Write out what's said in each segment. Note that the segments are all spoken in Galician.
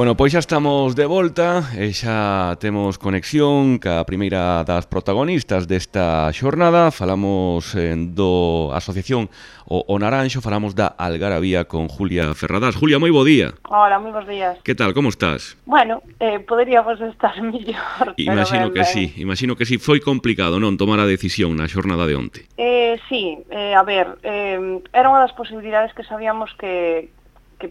Bueno, pois xa estamos de volta e xa temos conexión ca primeira das protagonistas desta xornada. Falamos do Asociación o Naranxo, falamos da Algarabía con Julia Ferradás. Julia, moi bo día. Hola, moi bons días. Que tal, como estás? Bueno, poderíamos estar mellor, Imagino que sí, imagino que sí. Foi complicado, non, tomar a decisión na xornada de onte. Sí, a ver, era unha das posibilidades que sabíamos que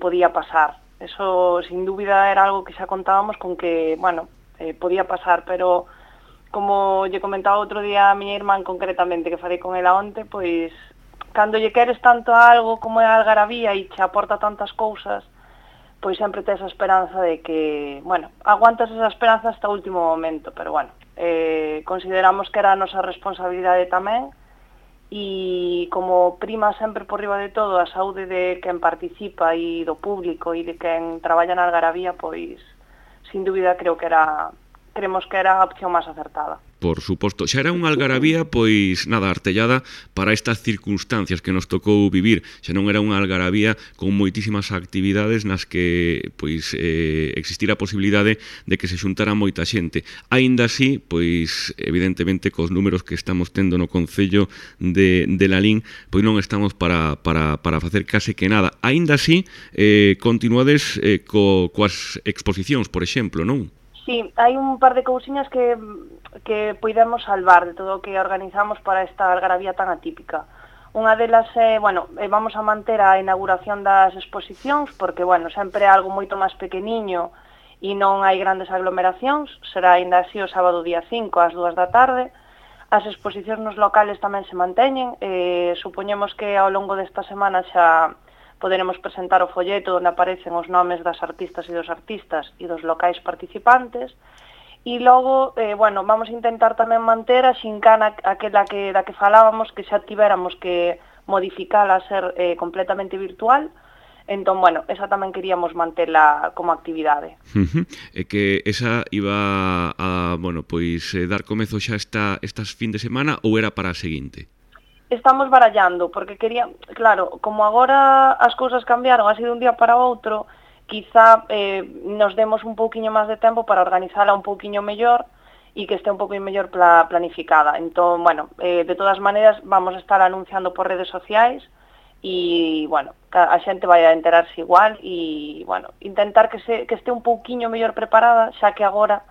podía pasar. Eso, sin dúbida, era algo que xa contábamos con que, bueno, podía pasar, pero como lle comentaba outro día a miña irmán concretamente, que falei con ela onte, pois, cando lle queres tanto a algo como é a Algarabía e che aporta tantas cousas, pois sempre tes a esperanza de que, bueno, aguantas esa esperanza hasta o último momento, pero bueno, consideramos que era a nosa responsabilidade tamén, e como prima sempre por riba de todo a saúde de quen participa e do público e de quen traballa na Algarabía, pois, sin dúbida, creemos que era a opción máis acertada. Por suposto, xa era unha Algarabía, pois, nada, artellada para estas circunstancias que nos tocou vivir. Xa non era unha Algarabía con moitísimas actividades nas que, pois, existira a posibilidade de que se xuntara moita xente. Aínda así, pois, evidentemente, cos números que estamos tendo no Concello de Lalín, pois non estamos para facer case que nada. Aínda así, continuades coas exposicións, por exemplo, non? Sí, hai un par de cousiñas que poidemos salvar de todo o que organizamos para esta Algarabía tan atípica. Unha delas é, bueno, vamos a manter a inauguración das exposicións, porque, bueno, sempre é algo moito máis pequeniño e non hai grandes aglomeracións. Será ainda así o sábado día 5 ás 2 da tarde. As exposicións nos locales tamén se manteñen. Supoñemos que ao longo desta semana xa poderemos presentar o folleto onde aparecen os nomes das artistas e dos locais participantes. E logo, bueno, vamos a intentar tamén manter a xincana aquela da que falábamos, que xa tivéramos que modificala a ser completamente virtual. Entón, bueno, esa tamén queríamos mantela como actividade. E que esa iba a, bueno, pois dar comezo xa estas fin de semana ou era para a seguinte? Estamos barallando, porque claro, como agora as cousas cambiaron así de un día para outro, quizá nos demos un pouquiño máis de tempo para organizala un pouquiño mellor e que este un pouquiño mellor planificada. Entón, bueno, de todas maneiras vamos a estar anunciando por redes sociais e, bueno, a xente vai a enterarse igual e, bueno, intentar que este un pouquiño mellor preparada, xa que agora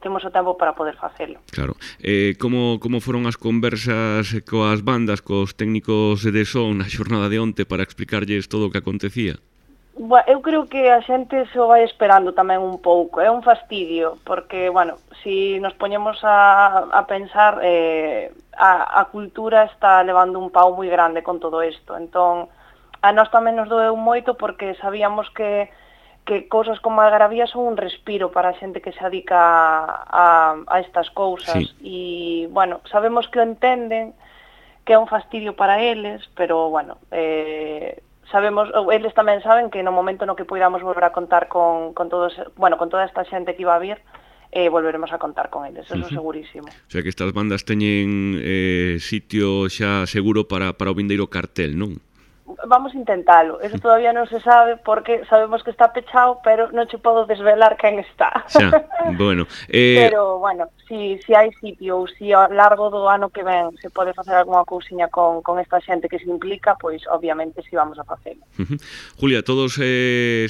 temos o tempo para poder facelo. Claro. Como foron as conversas coas bandas, cos técnicos de son na xornada de onte para explicarlles todo o que acontecía? Eu creo que a xente se o vai esperando tamén un pouco. É un fastidio, porque, bueno, si nos poñemos a pensar, a cultura está levando un pau moi grande con todo isto. Entón, a nós tamén nos doeu moito porque sabíamos que cousas como a Algarabía son un respiro para a xente que se dedica a estas cousas. Sí. E, bueno, sabemos que o entenden, que é un fastidio para eles, pero, bueno, eles tamén saben que no momento no que poidamos volver a contar con toda esta xente que iba a vir, volveremos a contar con eles, eso segurísimo. O sea que estas bandas teñen sitio xa seguro para o vindeiro cartel, non? Vamos a intentalo, eso todavía non se sabe porque sabemos que está pechado, pero non che podo desvelar quen está. Xa, bueno. Pero, bueno, si hai sitio ou si ao largo do ano que ven se pode facer algunha cousiña con esta xente que se implica, pois obviamente si vamos a facelo. Julia, todos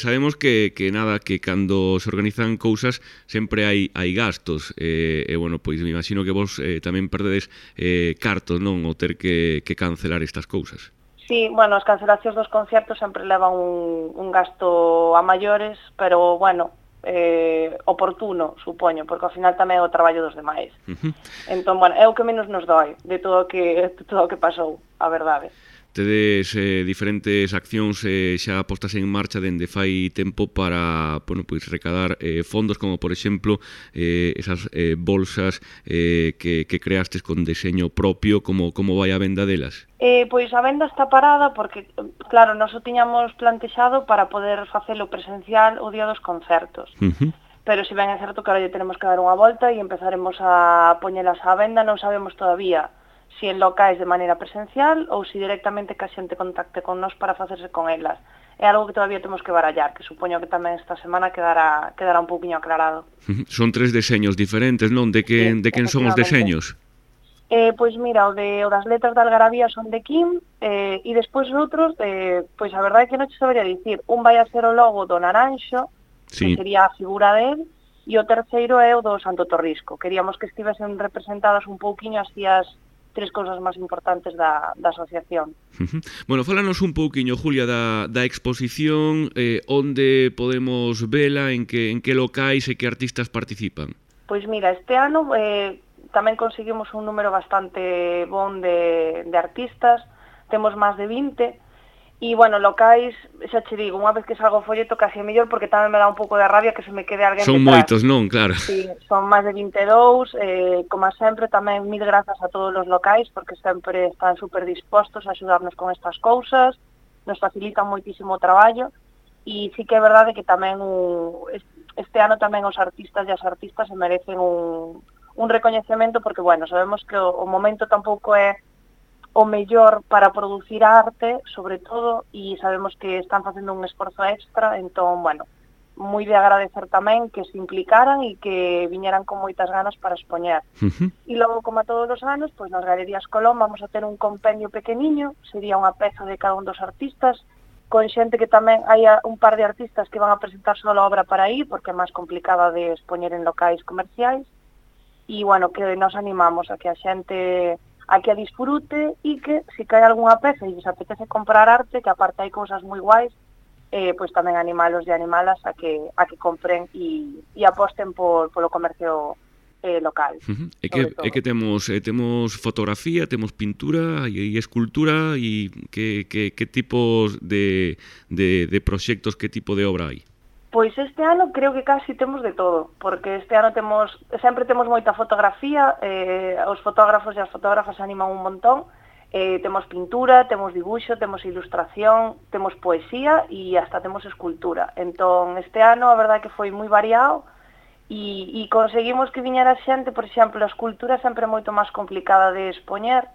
sabemos que nada, que cando se organizan cousas sempre hai gastos, e bueno, pois me imagino que vos tamén perdedes cartos, non, o ter que cancelar estas cousas. Sí, bueno, as cancelacións dos concertos sempre levan un gasto a maiores, pero, bueno, oportuno, supoño, porque ao final tamén é o traballo dos demais. Entón, bueno, é o que menos nos doi de todo o que pasou, a verdade. Tedes diferentes accións xa postas en marcha dende fai tempo para, bueno, pois recadar fondos, como por exemplo esas bolsas que creastes con deseño propio. Como vai a venda delas? Pois a venda está parada porque, claro, nós o tiñamos plantexado para poder facelo presencial o día dos concertos. Pero se ben é certo que ahora lle tenemos que dar unha volta e empezaremos a poñelas á venda, non sabemos todavía si en locais de maneira presencial ou si directamente que a xente contacte con nós para facerse con elas. é algo que todavía temos que barallar, que supoño que tamén esta semana quedará un pouquiño aclarado. Son 3 deseños diferentes, non? De quen son os deseños? Pois mira, o das letras da algarabía son de Kim, e despois os outros, pois a verdade é que non te sabería dicir. Un vai a ser o logo do Naranxo, que sería a figura del, e o terceiro é o do Santo Torrisco. Queríamos que estivesen representadas un pouquiño así as 3 cousas máis importantes da asociación. Bueno, fálanos un pouquiño, Julia, da exposición, onde podemos vela, en que locais e que artistas participan? Pois mira, este ano tamén conseguimos un número bastante bon de artistas, temos máis de 20, e, bueno, locais, xa che digo, unha vez que salgo o folleto casi é mellor, porque tamén me dá un pouco de rabia que se me quede alguén detrás. Son moitos, non? Claro. Sí, son máis de 22, como sempre, tamén mil grazas a todos os locais, porque sempre están super dispostos a axudarnos con estas cousas, nos facilitan moitísimo o traballo, e sí que é verdade que tamén este ano tamén os artistas e as artistas se merecen un recoñecemento, porque, bueno, sabemos que o momento tampouco é o mellor para producir arte, sobre todo, e sabemos que están facendo un esforzo extra, entón, bueno, moi de agradecer tamén que se implicaran e que viñeran con moitas ganas para expoñer. E logo, como a todos os anos, pois nas Galerías Colón vamos a ter un compendio pequeniño, sería unha peza de cada un dos artistas, con xente que tamén hai un par de artistas que van a presentar só a obra para aí, porque é máis complicada de expoñer en locais comerciais, e, bueno, que nos animamos a que a xente a que a disfrute e que, se cae algunha peza e lles apetece comprar arte, que aparte hai cousas moi guais, pois tamén animalos e animalas a que compren e aposten polo comercio local. É que temos fotografía, temos pintura e escultura, e que tipos de proxectos, que tipo de obra hai? Pois este ano creo que casi temos de todo, porque este ano sempre temos moita fotografía, os fotógrafos e as fotógrafas animan un montón, temos pintura, temos dibuixo, temos ilustración, temos poesía e hasta temos escultura. Entón, este ano a verdade que foi moi variado e conseguimos que viñera xente, por exemplo, a escultura sempre é moito máis complicada de expoñer,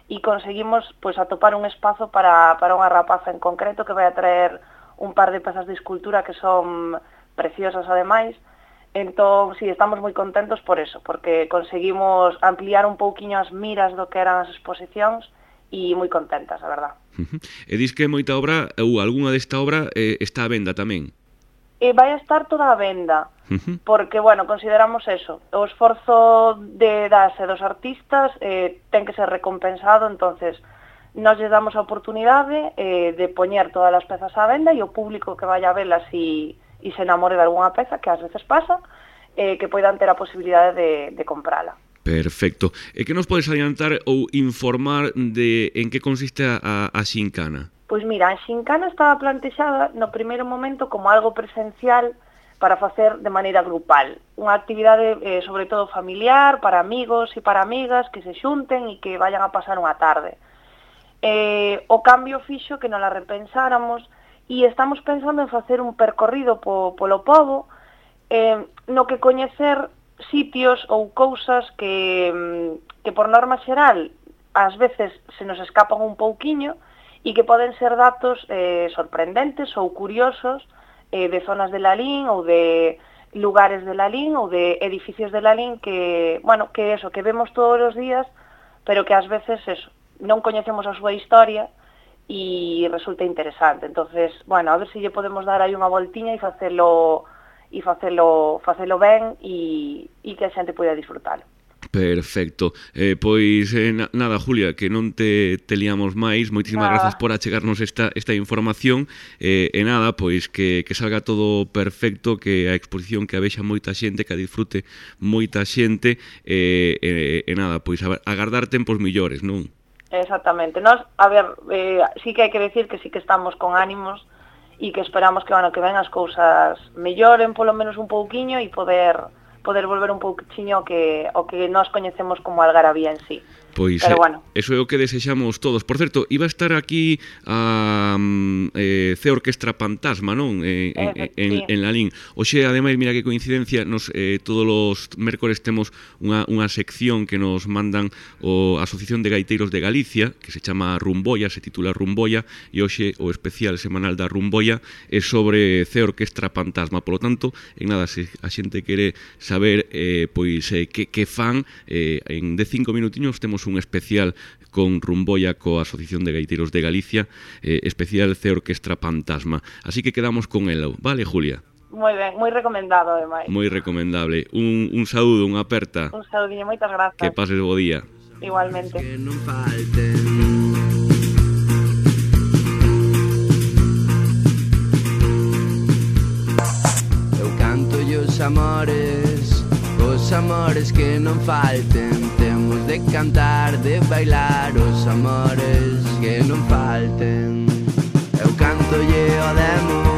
e conseguimos pois atopar un espazo para unha rapaza en concreto que vai a traer un par de pezas de escultura que son preciosas ademais. Entón, sí, estamos moi contentos por eso, porque conseguimos ampliar un pouquiño as miras do que eran as exposicións e moi contentas, a verdad. E dis que moita obra, ou algunha desta obra, está a venda tamén? Vai a estar toda a venda, porque, bueno, consideramos eso, o esforzo das e dos artistas ten que ser recompensado, entonces nós lle damos a oportunidade de poñer todas as pezas á venda, e o público que vai a velas e se enamore de algunha peza, que ás veces pasa, que poidan ter a posibilidade de comprala. Perfecto. E que nos podes adiantar ou informar de en que consiste a xincana? Pois mira, a xincana estaba plantexada no primeiro momento como algo presencial para facer de maneira grupal. Unha actividade, sobre todo familiar, para amigos e para amigas que se xunten e que vayan a pasar unha tarde. O cambio fixo que non la repensáramos e estamos pensando en facer un percorrido polo pobo, no que coñecer sitios ou cousas que por norma xeral ás veces se nos escapan un pouquiño e que poden ser datos sorprendentes ou curiosos de zonas de Lalín ou de lugares de Lalín ou de edificios de Lalín que, bueno, que eso, que vemos todos os días, pero que ás veces eso, non coñecemos a súa historia e resulta interesante. Entonces, bueno, a ver se lle podemos dar aí unha voltiña e facelo ben e que a xente poida disfrutalo. Perfecto. Pois nada, Julia, que non te liamos máis. Moitísimas grazas por achegarnos esta información. E nada, pois que salga todo perfecto, que a exposición que a vexa moita xente, que a disfrute moita xente. E nada, pois agardar tempos millores, non? Exactamente. Nos, a ver, sí que hai que decir que sí que estamos con ánimos e que esperamos que, bueno, que ven as cousas melloren polo menos un pouquiño e poder volver un pouquiño o que nós coñecemos como Algarabía en sí. Pois pero bueno. Eso é o que desexamos todos. Por certo, iba a estar aquí a C Orquestra Fantasma, non? En Lalín. Oxe, ademais, mira que coincidencia, todos os mércores temos unha sección que nos mandan a Asociación de Gaiteiros de Galicia, que se chama Rumboia, se titula Rumboia, e hoxe o especial semanal da Rumboia é sobre C Orquestra Fantasma. Por lo tanto, en nada, se a xente quere saber que fan, de 5 minutiños temos un especial con Rumboia coa Asociación de Gaiteiros de Galicia, especial C Orquestra Fantasma. Así que quedamos con elo, vale, Julia? Moi ben, moi recomendado, ademais. Moi recomendable. Un saúdo, unha aperta. Un saúdiño, moitas grazas. Que pases bo día. Igualmente. Que non falten. Eu canto os amores que non falten. Temos de cantar, de bailar os amores que non falten. Eu canto o demo